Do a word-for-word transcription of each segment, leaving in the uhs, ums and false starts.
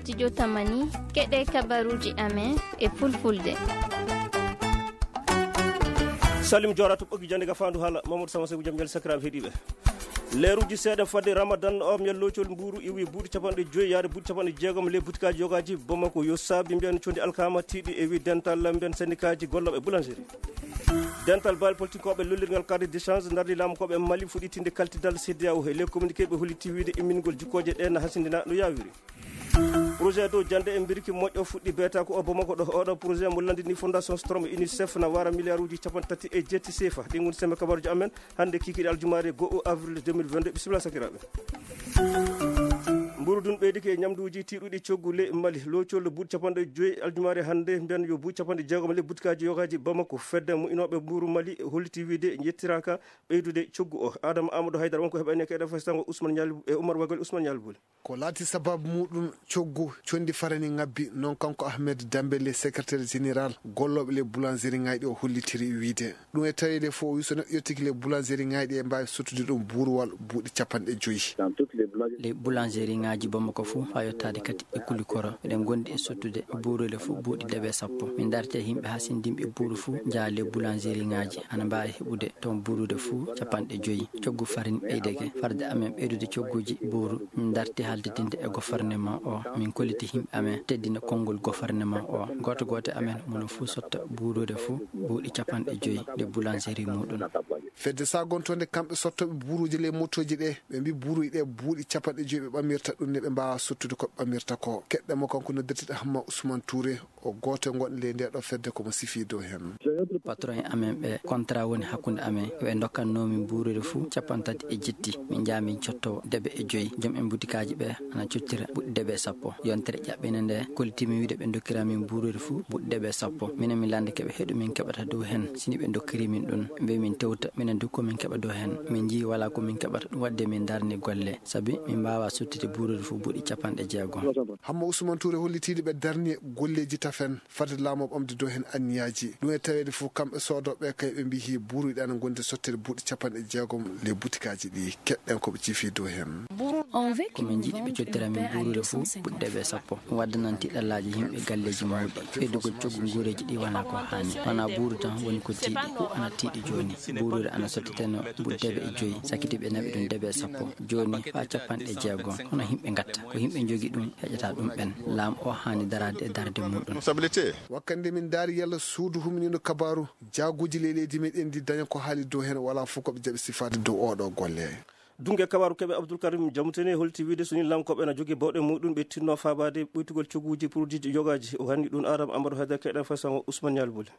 Studio Tamani, keɗe kabaruji amen e fulfulde. Salim Jora to ɓoggi jande ga fandu hala Mamadou Sama Seydou Jam Ñal sakiraɓe heɗiɓe. Leeruji seeɗa fadde Ramadan o, mbiyen locol mburu iwi buuɗi capanɗe joyi yaade buuɗi capanɗe jeegom le butikaji yogaji Bamako. Yo saabi mbiyen condi alkama tiiɗi e wi dental mbiyen syndicat ji golloɓe boulangerie. Dental baali politique koɓe lollirgal cadre d'échange dardi laamu koɓe Mali fuɗɗitinde kaltidal C D A O. E le communiqué ɓe holliti wiide immingol jikkoje ɗe na hasindina no yawiri. Projet dow jande e mbirki moƴƴo fuɗɗi beeta ko o Bamako ɗo. Oɗo projet mo landini Fondation Strom e UNICEF na wara milliard uji capanɗe tati e jetti sefa. Ɗin woni sembe kabaruji amen hande kikiɗe aljumaare go'o avril deux mille vingt-deux. Bisimilla sakiraɓe. Mburu dun ɓeydike e ñamduuji tiiɗuɗi coggu le Mali. Locol buuɗi capanɗe joyi aljumaare hande mbiyan yo buuɗi capanɗe jeegom le butikaji yogaji Bamako. Fedde mo inoɓe mburu Mali holliti wiide yettiraka ɓeydude coggu o. Adama Amadou Haydara wonko heɓani e keɗe fasitango Ousmane Ñal e Oumar Wagol Ousmane Ñal Buli. Ko laati sababu muɗum coggu condi farani ngabbi, non kanko Ahmed Dambele, secrétaire général golloɓe le boulangerie ngayɗi o hollitiri wiide. Ɗum e taweede fof o wi so neɗɗo yettiki le boulangerie ngayɗi e mbawi sottude ɗum buuruwal buuɗi capanɗe joyi. Le boulangerie ngaji Bamako fof ha yottade kadi e Kulikoro, eɗen gondi e sottude buurude fof buuɗi debe sappo. Min darti e yimɓe ha sendimɓe buuru fof jaa le boulangerie ngaji ana mbawi heɓude toon buurude fof capanɗe joyi. Coggu farine ɓeydeke. Farde amen ɓeydude cogguji buuru, min darti haldidinde e gouvernement o. Min kolliti yimɓe amen teddina konngol gouvernement o. Gooto gooto amen mono fof sotta buurude fof buuɗi capanɗe joyi nde boulangerie muɗum. Fedde sagontonde kamɓe sottoɓe buuruji ley motoji ɗe, ɓe mbi buuruji ɗe buuɗi capanɗe joyi ɓe ɓamirta ɗum ne ɓe mbawa sottude ko ɓamirta ko. Keɗɗe mo kanko noddirteɗo Hamma Ousmane Touré, o gooto e gonɗo ley nde ɗo fedde komo sifi dow hen. Patron en amen ɓe contrat woni hakkunde amen, ɓe dokkanno min buurude fuu capanɗe tati e jetti, min jaa min cotto debe e joyi. Joom en butikaji ɓe ana cottira buuɗi debe e sappo. Yontere ƴaɓɓene nde kolliti min wiide ɓe dokkira min buurude fuu buuɗi debe e sappo. Minen min lande keɓe heɗu min keɓata dow hen. Sini ɓe dokkiri min ɗum, mbe min tewta minen du ko min keɓa dow hen. Min jii wala ko min keɓata, ɗum wadde min darni golle, sabi min mbawa sottude buurude fuu buuɗi capanɗe jeegom. Hamma Ousmane Touré hollitiiɗo ɓe darni golleji tafen fadde laamu o ɓamde dow heen anniyaji. Ɗum e taweede fof kamɓe soodooɓe kay ɓe mbiyi buuruɗi ana gondi sottere buuɗi capanɗe jeegom le butikaji ɗi. Keɗɗen ko ɓe ciifi dow heen. Ko min njiɗi ɓe cottira min buuruɗe fof buuɗi debe sappo. Ɗum waddanan tiɗallaaji yimɓe galleji mawɗi. Ɓeydugol coggu nguureji ɗi wona ko haani. Wona buuru tan woni ko tiiɗi. Ko ana tiiɗi jooni. Buuruɗe ana sotteteno buuɗi debe e joyi. Sakkiti ɓe naɓi ɗum debe sappo. Jooni faa capanɗe jeegom. Hono yimɓe ngatta. Ko yimɓe njogi ɗum. Heƴata ɗum ɓen. Laamu o haani daraade e darde muɗum. Wakkande min ndaari yalla suudu humniiɗo kabaaru, jaaguuji ley leydi meɗen ndi daña ko haali dow heen, wala fof ko ɓe jaɓi sifaade dow oɗo golle. Dunge kabaaru keɓe Abdoul Karim Jamutene holti wiide so ni laamu koɓe na jogi bawɗe muɗum ɓe tinno faabaade ɓoytugol cogguuji produit yogaaji. O hanni ɗum Adama Amadou Haydara keɗen façon Ousmane Ñal Boli.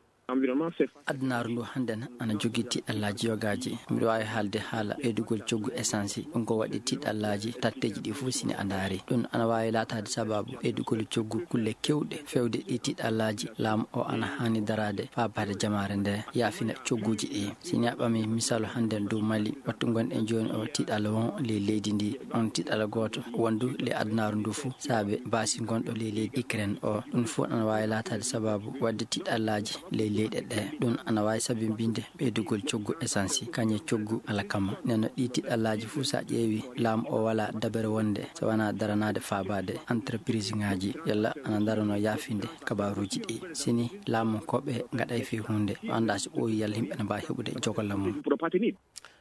Adunaaru ndu hannden ana jogii tiɗallaaji yogaaji. Miɗo waawi haalde haala ɓeydugol coggu essence. Ɗum ko waɗi tiɗallaaji tatteeji ɗi fof sini a ndaari. Ɗum ana waawi laataade sababu ɓeydugol coggu kulle kewɗe. Fewde ɗi tiɗallaaji, laamu o ana haani daraade faabaade jamaare nde, yaafina cogguuji ɗi. Sini a ɓami misaalu hannden dow Mali, wattu ngonɗen jooni o tiɗalla won ley leydi ndi. On tiɗalla gooto wondu ley adunaaru ndu fof, saabe baasi ngonɗo ley leydi Ukraine o. Ɗum fof ana waawi laataade sababu waɗde tiɗallaaji ley leyɗe ɗe. Ɗum ana waawi sabinbinde ɓeydugol coggu essence, kañe coggu alkama. Nden no ɗi tiɗallaaji fof so a ƴeewi, laamu o wala dabere wonde so wona daranaade faabaade entreprise ngaji, yalla ana darano yaafinde kabaaruuji ɗi. Sini laamu ko ɓe ngaɗay fii huunde, o annda so ɓooyi yalla yimɓe ne mbaawi heɓude jogolla mum.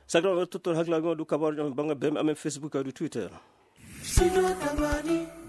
Sakiraɓe, tottor hakkilaaji mon du kabaaruuji amen bannga beme amen Facebook kadi Twitter.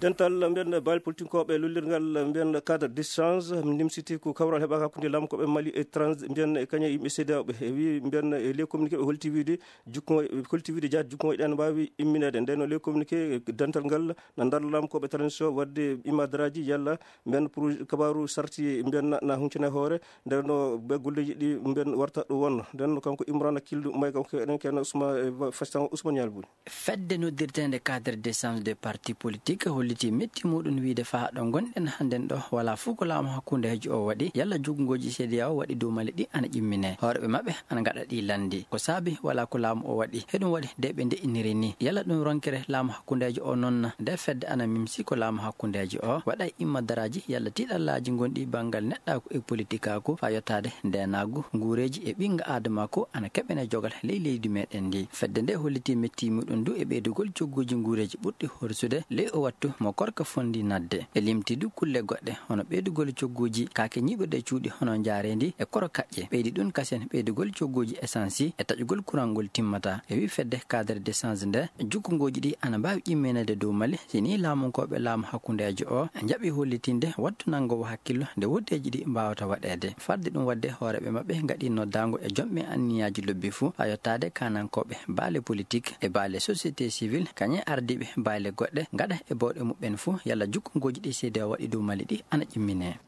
Dental mbiyen baali politinkooɓe lollirngal mbiyen cadre d'échange, nimsiti ko kawral heɓaka hakkunde laamu koɓe Mali e trans mbiyen e kañe yimɓe C D A O ɓe. E wi mbiyen e les communiqué ɓe holti wiide jukko, holti wiide jaati jukkoji ɗen mbaawi immineede. Nden no les communiqué dental ngal na ndar laamu koɓe transition wadde imadaraaji yalla mbiyen pour kabaaru sarti mbiyen na, na huncine hoore. Nden no ɓe golleji ɗi mbiyen warta ɗo wonno. Nden no kanko Imrana Kildu may kanko eɗen kena Ousmane, eh, Fastan Ousmane Yalbuni. Fedde noddirteende cadre d'échange des partis politiques holliti metti muɗum wiide faa ɗo ngonɗen hannden ɗo, wala fof ko laamu hakkundeejo o waɗi, yalla joginngooji C D A O waɗi dow Mali ɗi ana ƴimmine. Hooreɓe maɓɓe ana ngaɗa ɗi lanndi. Ko saabi wala ko laamu o waɗi. Heɗum waɗi nde ɓe ndeƴiniri ni. Yalla ɗum ronkere laamu hakkundeejo o noon na? Nde fedde ana mimsi ko laamu hakkundeejo o waɗa e immadaraaji yalla tiɗallaaji ngonɗi banngal neɗɗaaku e politikaaku faa yottaade ndeenaagu, nguureeji e ɓinnga aadamaaku ana keɓene jogal ley leydi meɗen ndi. Fedde nde holliti metti muɗum du e ɓeydugol cogguuji nguureeji ɓurɗi horsude ley o wattu mo korka fondi nadde. E limti du kulle goɗɗe, hono ɓeydugol cogguuji kaake ñiiɓirde cuuɗi hono njaareendi e koro kaƴƴe. Ɓeydi ɗum kasen ɓeydugol cogguuji esansi e taƴugol kurangol timmata. E wi fedde cadre d'échange nde, jukkungooji ɗi ana mbaawi ƴimminede dow Mali, si ni laamunkooɓe laamu hakkundeejo o njaɓi hollitinde wattu nanngowo hakkillo nde woddeeji ɗi mbaawata waɗeede. Fadde ɗum waɗde, hooreeɓe maɓɓe ngaɗi noddaango e jomɓe anniyaaji lobbi fuu, haa yottaade kaanankooɓe baale politik e baale société civile, kañe ardiiɓe baale goɗɗe, ngaɗa e bawɗe muɓɓen fuu, yalla jukkungooji ɗi C D A O waɗi dow Mali ɗi ana ƴimmine.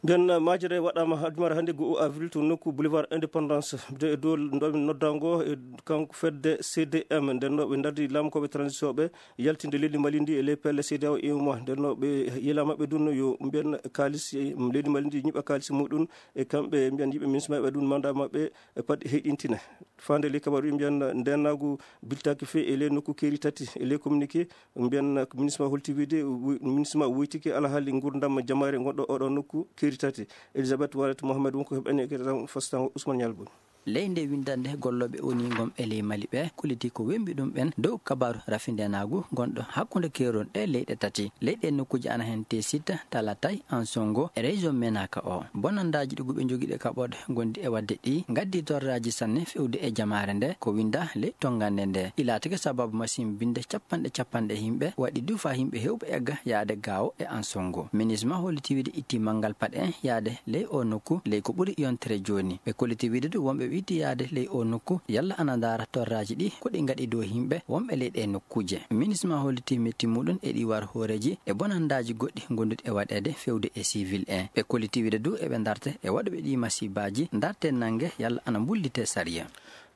Nden majere waɗaama ha jumare hannde, ngu avril, to nokku Boulevard Indépendance. De e dow noddaango e kanko fedde C D M, nden no ɓe ndardi laamunkooɓe transition ɓe yaltinde leydi Mali ndi e ley pelle C D A O e UEMOA. Nden no ɓe yelama ɓe dunno yo mbiyen kaalis, leydi Mali ndi ñiɓa kaalis muɗum, e kamɓe mbiyen yimɓe ministre maɓɓe ɗum mandat maɓɓe e pat heyɗintine. Fande ley kabaru mbiyen ndennaagu biltaaki fe e ley nokku keeri tati e ley communiqué, mbiyen ministre ma holti wiide, wi-, ministre ma woytike alhaali ngurdam jamaare ngonɗo oɗo nokku keeri tati. Elisabeth Warret Mohamed wonko heɓani e keɗoɗam fastango Ousmane Nialboni. Ley nde winndannde gollooɓe O N U ngon e ley Mali ɓe, kolliti ko wembi ɗum ɓen dow kabaaru rafindenaagu gonɗo hakkunde keerol ɗe leyɗe tati. Leyɗe nokkuuji ana heen Tessit, Talatay, Ansongo e région Menaka o. Bonandaaji ɗi ɓe njogii ɗe kaɓorɗe ngondi e waɗde ɗi, ngaddi torraaji sanne fewde e jamaare nde, ko winnda ley tonngande nde. Ɗi laatike sababu masimbinde capanɗe capanɗe yimɓe, waɗi du faa yimɓe heewɓe egga yaade Gaawo e Ansongo. Minisma holliti wiide itti manngal paɗe yaade ley o nokku, ley ko ɓuri yontere jooni. Ɓe kolliti wiide du wonɓe ɓe itti yaade ley o nokku, yalla ana ndaara torraaji ɗi, ko ɗi ngaɗi dow yimɓe wonɓe ley ɗe nokkuuje. Minisma holliti metti muɗum e ɗi war hooreeji e bonandaaji goɗɗi ngonduɗi e waɗeede fewde e civil en. Ɓe kolliti wiide du eɓe ndarte e waɗuɓe ɗi masibaaji, ndarte nannge yalla ana mbullite sariya.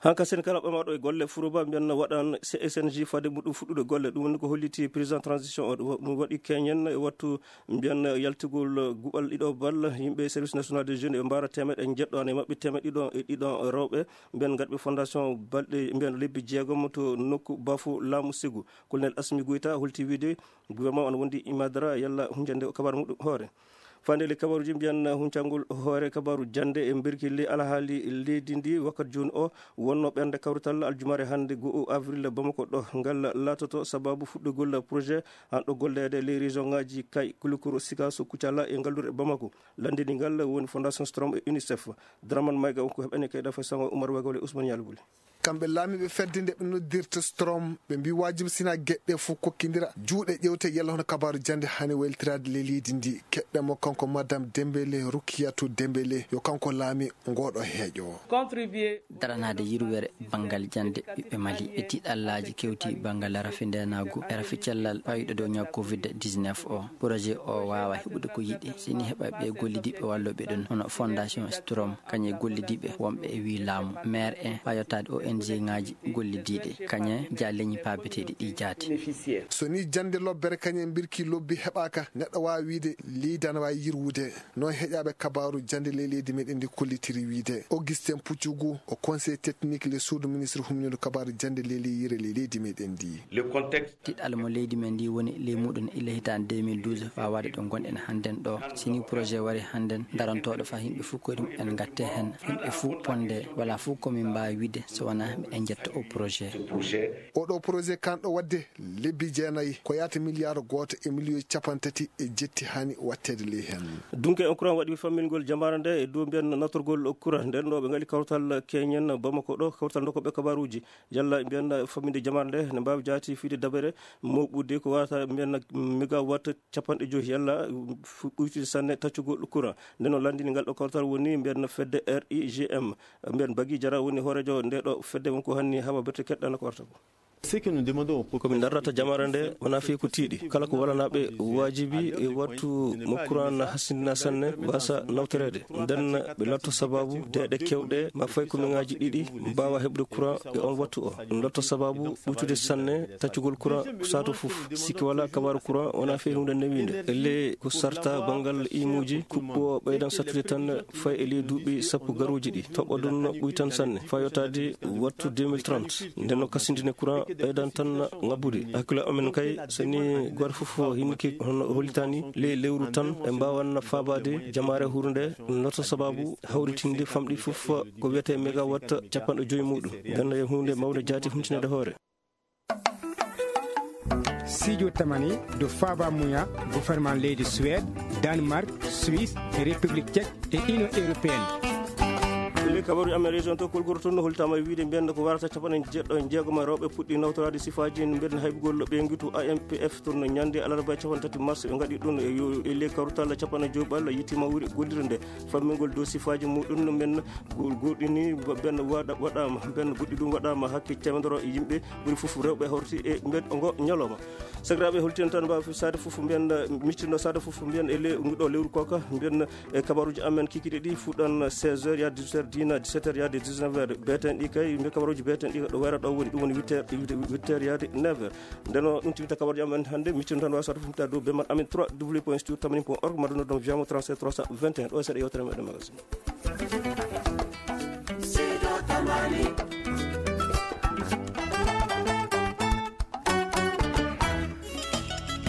Hanka sen kala ɓamaɗo e golle Furuba, mbiyan waɗan C S N J fade muɗum fuɗɗude golle. Ɗum woni ko holliti président transition o. Ɗum waɗi keñen e wattu, mbiyan yaltugol guɓal ɗiɗo bal. Yimɓe service national des jeunes e mbaara teemeɗe e njeɗɗo, ana e maɓɓe teemeɗe ɗiɗo e ɗiɗo rewɓe. Mbiyan ngaɗɓe fondation balɗe, mbiyan lebbi jeegom to nokku Bafo laamu Segu. Colonel Asmi Goyta holti wiide gouvernement on wondi imadara yalla hunjande o kabar muɗum hoore. Fande le kabaruji mbiyan huncangol hoore kabaru jande e mbirkilli alhaali leydi ndi wakkat jooni o wonno ɓernde kawrital aljumare hannde go'o avril Bamako ɗo. Ngal laatoto sababu fuɗɗugol projet an ɗo golleede ley région ngaji Kay, Kulukuru, Sikaso, Kucala e ngallure Bamako. Landini ngal woni Fondation Strom e UNICEF. Draman Mayga on ko heɓani kayda fasango Oumar Wagole Ousmane Yalbuli. Kamɓe laamiiɓe fedde nde ɓe noddirta Strom, ɓe mbi waajibi sina geɗe fof kokkindira juuɗe ƴewte yalla hono kabaaru jannde hani waylitiraade ley leydi ndi. Keɗɗen mo kanko Madame Dembélé, Rukiyatu Dembélé, yo kanko laami ngooɗo heeƴo. Contribuer. Daranaade yirwere banngal jannde ɓiɓɓe Mali e tiiɗallaaji kewti banngal rafi ndeenaagu e rafi cellal fayuɗo dow ñaw covid dix-neuf o. Projet o waawa heɓude ko yiɗi, sini heɓa ɓe gollidiiɓe wallooɓe ɗum, hono Fondation Strom, kañum e gollidiiɓe wonɓe e wii laamu, maire en, faa yottaade O N G ŋaaji gollidiiɗe, kañum e ja leñi paabeteeɗi ɗi jaati. So ni jannde lobbere kañum e mbirki lobbi heɓaaka, neɗɗo waawa wiide leydi ana waawi yirwude. Noon heƴaaɓe kabaaru jannde ley leydi meɗen ndi kollitiri wiide. Augustin Puccugu, o conseil technique le suudu ministre humniiɗo kabaaru jannde ley leyire ley leydi meɗen ndi. Le contexte. Tiɗal mo leydi men ndi woni ley muɗum ila hitaande deux mille douze faa waade ɗo ngonɗen hannden ɗo. Sini projet wari hannden darantooɗo faa yimɓe fof koyɗe mumen ngatte heen. Yimɓe fof ponde, wala fof ko min mbaawi wiide so wonaa miɗen njetta o projet. Oɗo projet kanɗo waɗde lebbi jeenayi, ko yaata miliyaar gooto e miliyoŋ capanɗe tati e jetti hani watteede ley heen. Dunke en courant waɗi fammingol jamaare nde e dow mbiyan natorgol courant. Nden ɗo ɓe ngali kawtal keñen Bamako ɗo, kawtal ndokoɓe kabaruuji. Yalla mbiyan famminde jamaare nde ne mbaawi jaati fiide dabere mawɓude ko wata mbiyan mégawatt capanɗe joyi yalla fu-, ɓuytude sanne taccugol courant. Nden o landini ngal ɗo kawtal woni mbiyan fedde R I G M. Mbiyan Bagi Jara woni hooreejo nde ɗo fedde won ko hanni hawa berte keɗɗana ko warta ko. Ce que nous demandons au Ko min darrata jamaare nde wonaa fii ko tiiɗi. Kala ko walanaaɓe waajibi e wattu mo courant na hasindina sanne, mbasa nawtoreede. Nden ɓe latto sababu deeɗe kewɗe, ma fay ko min ngaaji ɗiɗi mbaawa heɓde courant e on wattu o. Ɗum latto sababu ɓuytude sanne taccugol courant sato fof. Sikki wala kabaaru courant wonaa fii huunde newiinde. Ellee ko sarta banngal imuuji, kuɓɓo ɓeydan sattude tan fay e ley duuɓi sappo garuuji ɗi. Toɓɓo ɗum ɓuytan sanne, faa yottaade wattu deux mille trente. Nden no kasindine courant ɓeydan tan ŋabbude. Hakkille amen kay, so ni gooto fof hinnike hono hollitani ley lewru tan, ɓe mbaawan faabaade jamaare hurnde, lotto sababu hawritinde famɗi fof ko wiyetee mégawatt capanɗe joyi muɗum. Nden no huunde mawnde jaati huntinaade hoore. Sijo tamani do faba muya gouvernement leydi Suède, Danemark, Suisse, République Tchèque et Union Européenne. Ley kabaru amen région to Kolgoro toon no holtama e wiide mbiyen ko warata capanɗe jeeɗɗo e jeegom e rewɓe puɗɗi nawtoraade sifaaji mbiyen haybugol ɓeyngu to A M P F toon ñande alarba capanɗe tati mars ɓe ngaɗi ɗum e yo-, e ley kawtal capanɗe joy ɓalla yittima wuri gollirde nde fammingol dow sifaaji muɗum men go-, goɗɗini ben waɗa-, waɗama ben goɗɗi ɗum waɗama hakke temedere yimɓe ɓuri fof rewɓe hawti e mbeɗ ngo ñalawma. Sakiraaɓe, holten tan mbawa saade fof mbiyen, eh, miccitno saade fof mbiyen e le-, ngu ɗo lewru koka mbiyen, eh, kabaruji amen kikiɗe ɗi fuɗɗan seize heures ya dix-huit heures, dina dix-sept heures ya dix-neuf heures. Beten ɗi kay, mbiye kabaruji beten ɗi ɗo wayra ɗo woni, ɗum woni huit heures, huit heures ya neuf heures. Ndeno ɗum tiwta kabaruji amen hannde, miccitno tan mbawa saade fof mbiyen dow bemat amen trois W point studio tamani point org, mbaɗa noddam via mo trente-sept trois cent vingt et un. Ɗo seeɗa yewtere meɗen magazine.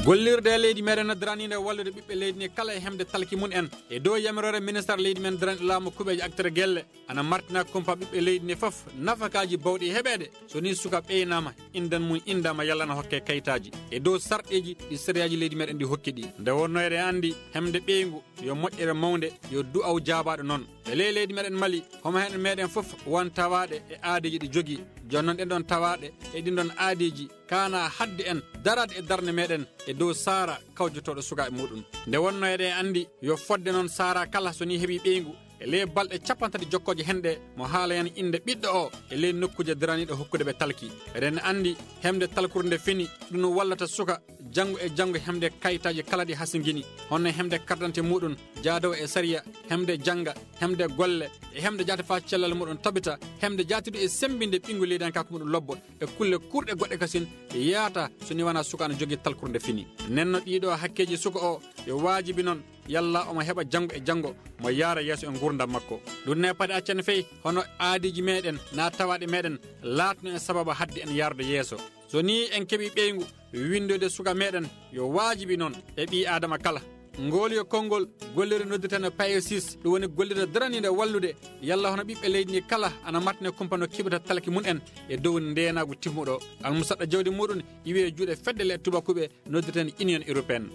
Gollirde e leydi meɗen no daraniinde wallude ɓiɓɓe leydi ni kala e hemde talki mum en. E dow yamiroore ministre leydi men daraniiɗo laamu kuɓeeje acteur gelle, ana martina kumpa ɓiɓɓe leydi ni fof nafakaaji bawɗi heɓeede. So ni suka ɓeynama, indan mum indama yalla na hokke kayitaaji. E dow sarɗeeji ɗi sariyaaji leydi meɗen ɗi hokki ɗi. Nde wonno eɗen anndi hemde ɓeyngu yo moƴƴere mawnde, yo du'aw jaabaaɗo noon. E ley leydi meɗen Mali, homo hen meɗen fof won tawaaɗe e aadeeji ɗi jogii. Jooni noon ɗen ɗon tawaaɗe e ɗin ɗon aadeeji kaana hadde en daraade e darnde meɗen e dow saara kawjotooɗo sukaaɓe muɗum. Nde wonno eɗen anndi yo fodde noon saara kala so ni heɓi ɓeyngu e ley balɗe capanɗe tati jokkooje hen ɗe mo haala hen innde ɓiɗɗo o e ley nokkuuje daraniiɗo hokkude ɓe talki. Eɗen anndi hemde talkuru nde fini, ɗum wallata suka janngo e janngo hemde kayitaaji kala ɗi hasingini, hono hemde carte d'identité muɗum, jaadowo e sariya, hemde jannga, hemde golle, e hemde jaati faa cellal muɗum tabita, hemde jaatiiɗo e semmbinde ɓinngu leydankaaku muɗum lobbo, e kulle kuurɗe goɗɗe kasin yaata so ni wona suka no jogii talkuru nde fini. Nenno ɗiɗo hakkeeji suka o, yo waajibi noon yalla omo heɓa janngo e janngo mo yaara yeeso e nguurndam makko. Ɗum ne paɗi accane fey hono aadiiji meɗen na tawaaɗe meɗen laatno en sababu hadde en yaarde yeeso. So ni en keɓi ɓeyngu winndoyde suka meɗen, yo waajibi noon e ɓii Aadama kala. Ngool yo konngol gollirde noddirteende payesis, ɗum woni gollirde daraniinde wallude yalla hono ɓiɓɓe leydi ndi kala ana martine kumpa no keɓirta talki mum en e dow ndeenaagu timmuɗo. Almusaɗɗo jawdi muɗum iwi e juuɗe fedde le tubakuɓe noddirteende Union Européenne.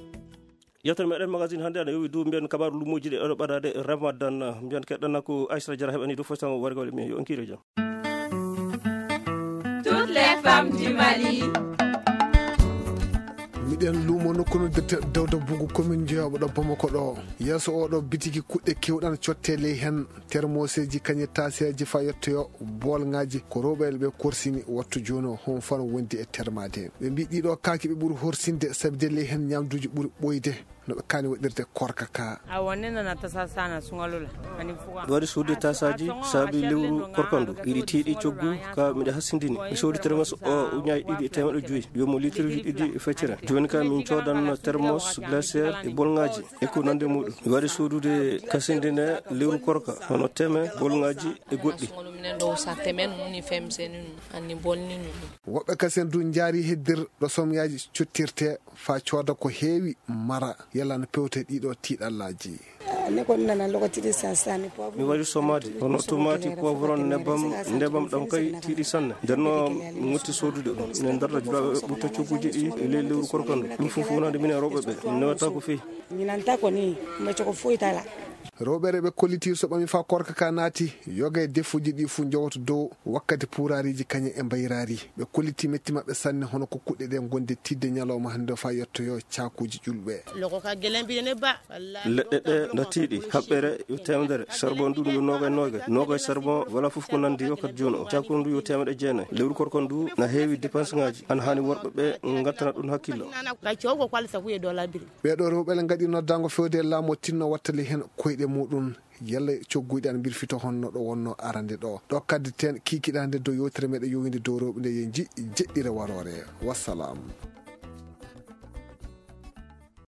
Yewtere meɗen magazine hannde ana yowi dow mbiyen kabaaru lumuuji ɗi ɗo ɓadaade Ramadan. Mbiyen keɗɗana ko Aysata Jara heɓani dow fof tan wargol e mbiyen yo on kiire jam. Toutes les femmes du Mali. Miɗen luumo nokku noddirte Dawda Bugu, commune Jeyoɓo ɗo Bamako ɗo. Yeeso oɗo bitiki kuɗɗe kewɗan cotte ley hen. Termoseeji kañe taaseeji faa yettoyo boolŋaaji ko rewɓe ɓe korsini wattu jooni o, homo fano wondi e termaade. Ɓe mbii ɗiɗo kaaki ɓe ɓuri horsinde, sabi de ley heen ñaamduuji ɓuri ɓooyde no ɓe kaani waɗirde korka ka. A wonde nana tasa sana suŋalula. Ani fuga. Waɗi suude tasaaji saabi lewru korka ndu. Iɗi tiiɗi coggu ka miɗa hasindini. Mi soodi termos o uñaaji ɗiɗi e teemeɗɗe joyi. Yomo litirji ɗiɗi e feccere. Jooni ka min coodan termos glacière e boolŋaaji e ko nande muɗum. Mi waɗi soodude kasindine lewru korka, hono teme, boolŋaaji e goɗɗi. Minen ɗo usa temen, ni femse, ni anni bolni, ni. Woɓɓe kasen du njaari heddir ɗo somyaaji cottirte faa cooda ko heewi mara, yalla no pewte ɗiɗo tiiɗallaaji. Ne ko nana lokaci de sasani poivron. Mi waɗi somaade, hono tomaati, poivron, nebbam, nebbam ɗam kay tiiɗi sanne. Nden no motti soodude ɗum. Minen darda julaaɓe ɓe ɓutta cogguuji ɗi e ley lewru korka ndu. Ɗum fof wonande minen rewɓe ɓe. Newata ko feewi. Ñinanta ko ni, mbe coko foyi tala. Rewɓe ɓe kolliti so ɓami faa korka ka naati, yoga e defuuji ɗi fuu njowoto dow wakkati puuraariiji kañe e mbayraari. Ɓe kolliti metti maɓɓe sanne hono ko kuɗɗe ɗe ngonde tiiɗde ñalawma hannde faa yettoyo caakuuji ƴulɓe. Logo ka gelen bi ne ba. Leɗɗe ɗe no tiiɗi, haɓɓere yo teemedere, charbon ndu yo noogay noogay, noogay charbon, wala fof ko nandi yo kadi jooni o. Caakuuji ndu yo teemeɗɗe jeenay. Lewru korka ndu na heewi dépense ŋaaji, ana haani worɓe ɓe ngattana ɗum hakkillo. Ka cowgo ko alsa kuye dola biri. Ɓee ɗoo rewɓe le ngaɗi noddaango fewde e laamu o tinno wattali heen koyɗe muɗum, yalla cogguyɗe ana mbirfito honno ɗo wonno arande ɗo. Ɗo kaddi teen kiikiɗaande dow yewtere meɗen yowinde dow rewɓe nde yo nji-, jeɗɗire waroore. Wassalam.